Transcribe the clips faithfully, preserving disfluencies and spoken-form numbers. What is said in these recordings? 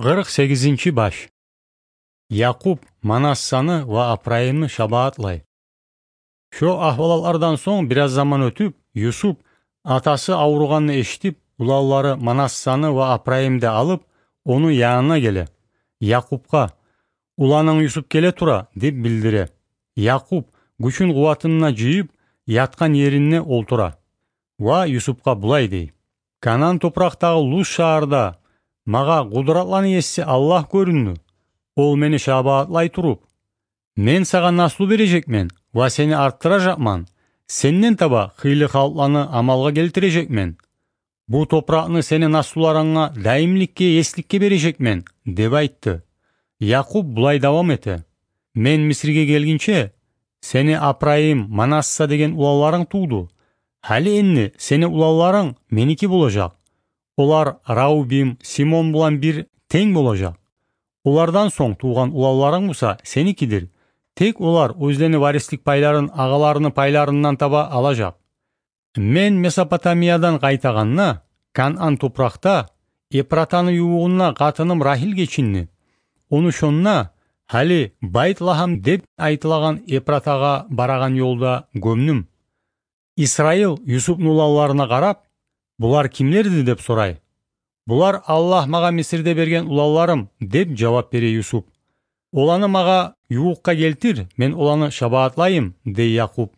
Къыркъ сегизинчи баш. Якъуб Манассаны ва Апрайымны шабаатлай. Шо агьвалатлардан сонг бираз заман оьтюп, Юсуп атасы авругъанны эшитип, уланлары Манассаны ва Апрайымны да алып, ону янына геле. Якъубгъа: «Уланынг Юсуп геле тура», – деп билдире. Якъуб гючюн-къуватын да жыйып, ятгъан еринде олтура ва Юсупгъа булай дей: «Канаан топуракъдагъы Луз шагьарда магъа къудратланы Еси Аллагь гёрюндю. Ол мени шабаатлай туруп: „Мен сагъа наслу бережекмен ва сени артдыражакъман, сенден таба хыйлы халкъланы амалгъа гелтирежекмен. Бу топуракъны сени наслуларынга даимликге, есликге бережекмен“, – деп айтды». Якъуб булай давам эте: «Мен Мисрге гелгинче, сени Апрайым, Манасса деген уланларынг тувду. Гьали энди сени уланларынг меники болажакъ. Олар Раубим, Симон булан бир тенг болажакъ. Олардан сонг тувгъан уланларынг буса сеникидир. Тек олар оьзлени варислик пайларын агъаларыны пайларындан таба алажакъ. Мен Месопотамиядан къайтагъанда, Канаан топуракъда, Эпратаны ювугъунда къатыным Рагьил гечинди. Ону шонда, гьали Байт-Лагьам деп айтылагъан Эпратагъа барагъан ёлда гёмдюм». Исраил Юсупну уланларына къарап: «Булар кимлерди?» – деп сорай. «Булар Аллагь магъа Мисрде берген уланларым», – деп жавап бере Юсуп. «Оланы магъа ювукъгъа гелтир, мен оланы шабаатлайым», – дей Якъуб.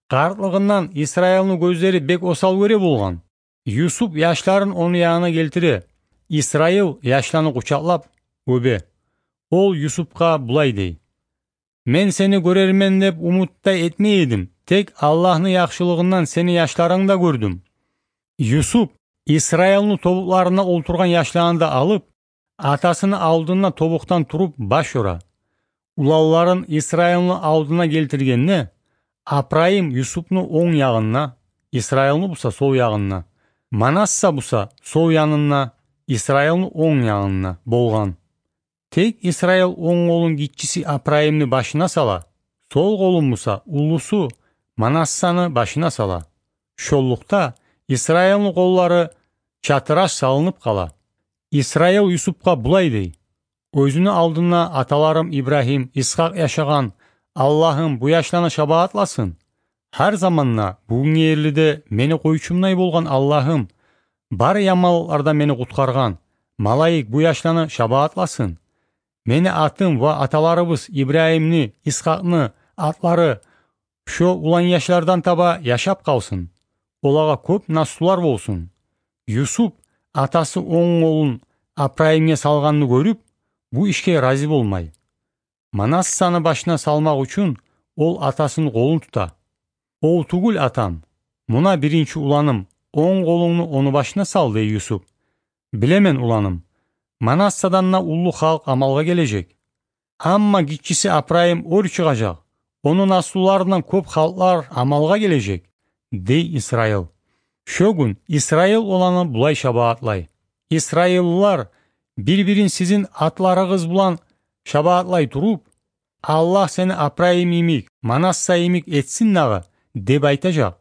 Къартлыгъындан Исраилну гёзлери бек осал гёре болгъан. Юсуп яшларын ону янына гелтире. Исраил яшланы къучакълап оьбе. Ол Юсупгъа булай дей: «Мен сени гёрермен деп умут да этмей эдим. Тек Аллагьны яхшылыгъындан сени яшларынгны да гёрдюм». Юсуп Исраилну тобукъларында олтургъан яшланы да алып, атасыны алдында тобукъдан туруп баш ёра. Уланларын Исраилну алдына гелтиргенде, Апрайым Юсупну онг ягъында, Исраилну буса сол ягъында, Манасса буса сол янында, Исраилну онг ягъында болгъан. Тек Исраил онг къолун гиччиси Апрайымны башына сала, сол къолун буса уллусу Манассаны башына сала. Шоллукъда Исраилну къоллары чатыраш салынып къала. Исраил Юсупгъа булай дей: «Оьзюню алдында аталарым Ибрагьим, Исхакъ яшагъан Аллагьым бу яшланы шабаатласын. Гьар заманда, бугюнге ерли де мени къойчумдай болгъан Аллагьым, бары яманлыкълардан мени къутгъаргъан малайик бу яшланы шабаатласын. Мени атым ва аталарыбыз Ибрагьимни, Исхакъны атлары шо улан яшлардан таба яшап къалсын. Олагъа кёп наслулар болсун». Юсуп атасы онг къолун Апрайымгъа салгъанны гёрюп, бу ишге рази болмай. Манассаны башына салмакъ учун ол атасыны къолун тута. «Ол тюгюл, атам, муна биринчи уланым, онг къолунгну ону башына сал», – дей Юсуп. «Билемен, уланым, Манассадан да уллу халкъ амалгъа гележек. Амма гиччиси Апрайым оьр чыгъажакъ, ону наслуларындан кёп халкълар амалгъа гележек», – дей Исраил. Шо гюн Исраил оланы булай шабаатлай: «Исраиллылар, бир-бирин сизин атларыгъыз булан шабаатлай туруп: „Аллагь сени Апрайым йимик, Манасса йимик этсин дагъы“, – деп айтажакъ».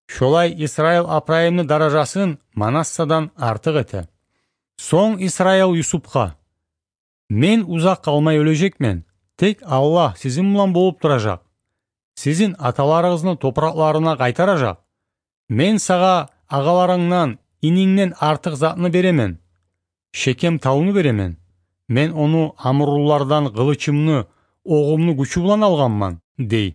Шолай Исраил Апрайымны даражасын Манассадан артыкъ эте. Сонг Исраил Юсупгъа: «Мен узакъ къалмай оьлежекмен. Тек Аллагь сизин булан болуп туражакъ. Сизин аталарыгъызны топуракъларына къайтаражакъ. Мен сагъа агъаларынгдан, инингден артыкъ затны беремен. Шекем тавну беремен. Мен ону амуруллардан къылычымны, огъумну гючю булан алгъанман», – дей.